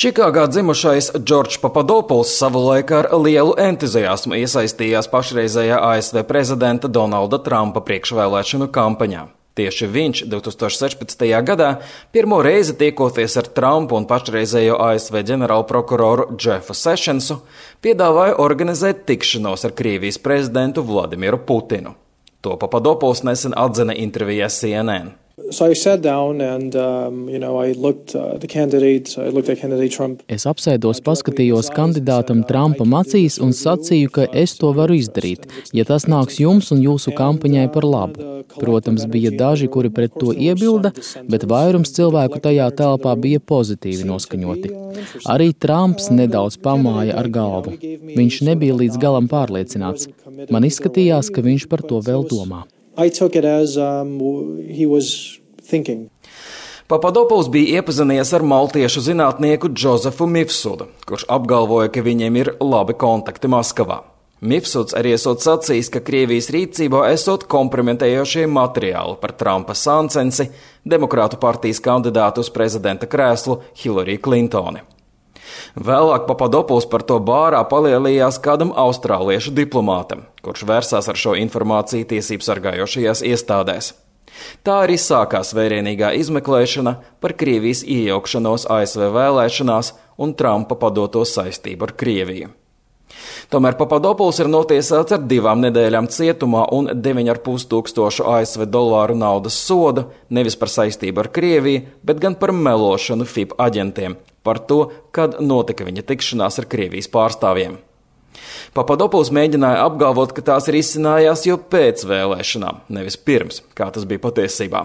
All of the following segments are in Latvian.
Čikāgā dzimušais Džordžs Papadopuls savulaik ar lielu entuziasmu iesaistījās pašreizējā ASV prezidenta Donalda Trumpa priekšvēlēšanu kampaņā. Tieši viņš 2016. gadā pirmo reizi tiekoties ar Trumpu un pašreizējo ASV ģenerālprokuroru Jeffu Sessionsu, piedāvāja organizēt tikšanos ar Krievijas prezidentu Vladimiru Putinu. To Papadopuls nesen atzina intervijā CNN. So I sat down and, I looked at candidate Trump. Es apsēdos, paskatījos kandidātam Trumpam acīs un sacīju, ka es to varu izdarīt, ja tas nāks jums un jūsu kampaņai par labu. Protams, bija daži, kuri pret to iebilda, bet vairums cilvēku tajā telpā bija pozitīvi noskaņoti. Arī Trumps nedaudz pamāja ar galvu. Viņš nebija līdz galam pārliecināts. Man izskatījās, ka viņš par to vēl domā. I took it as he was thinking. Papadopuls bija iepazinies ar maltiešu zinātnieku Džozefu Mifsudu, kurš apgalvoja, ka viņiem ir labi kontakti Maskavā. Mifsuds arī esot sacījis, ka Krievijas rīcībā esot kompromitējošie materiāli par Trumpa sāncensi, Demokrātu partijas kandidātu uz prezidenta krēslu Hillary Clintoni. Vēlāk Papadopuls par to bārā palielījās kādam austrāliešu diplomātam, kurš vērsās ar šo informāciju tiesību sargājošajās iestādēs. Tā arī sākās vērienīgā izmeklēšana par Krievijas iejaukšanos ASV vēlēšanās un Trumpa padoto saistību ar Krieviju. Tomēr Papadopuls ir notiesāts ar 2 nedēļām cietumā un 9,5 tūkstošu ASV dolāru naudas sodu nevis par saistību ar Krieviju, bet gan par melošanu FIB aģentiem par to, kad notika viņa tikšanās ar Krievijas pārstāvjiem. Papadopuls mēģināja apgalvot, ka tās ir izcinājās jau pēc vēlēšanām, nevis pirms, kā tas bija patiesībā.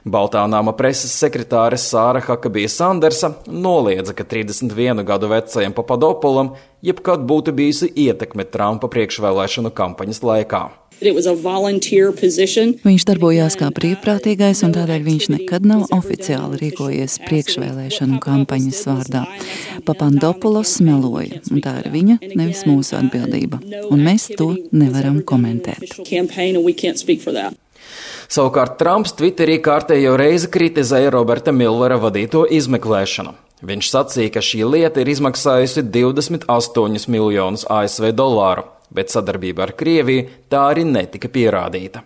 Baltā nama preses sekretāre Sāra Hakabija Sandersa noliedza, ka 31 gadu vecajam Papadopulam jebkad būtu bijusi ietekme Trumpa priekšvēlēšanu kampaņas laikā. Viņš darbojās kā brīvprātīgais, un tādēļ viņš nekad nav oficiāli rīkojies priekšvēlēšanu kampaņas vārdā. Papadopulos meloja, un tā ir viņa, nevis mūsu atbildība, un mēs to nevaram komentēt. Savukārt Trumps Twitterī kārtējo reizi kritizēja Roberta Millera vadīto izmeklēšanu. Viņš sacīja, ka šī lieta ir izmaksājusi 28 miljonus ASV dolāru, bet sadarbība ar Krieviju tā arī netika pierādīta.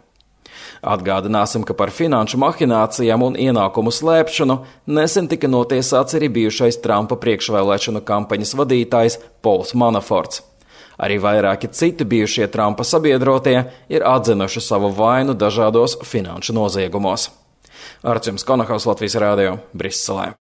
Atgādināsim, ka par finanšu mahinācijām un ienākumu slēpšanu nesen tika notiesāts arī bijušais Trumpa priekšvēlēšanu kampaņas vadītājs Pols Manaforts. Arī vairāki citi bijušie Trumpa sabiedrotie ir atzinuši savu vainu dažādos finanšu noziegumos. Arčuns Konahaus, Latvijas radio, Briselē.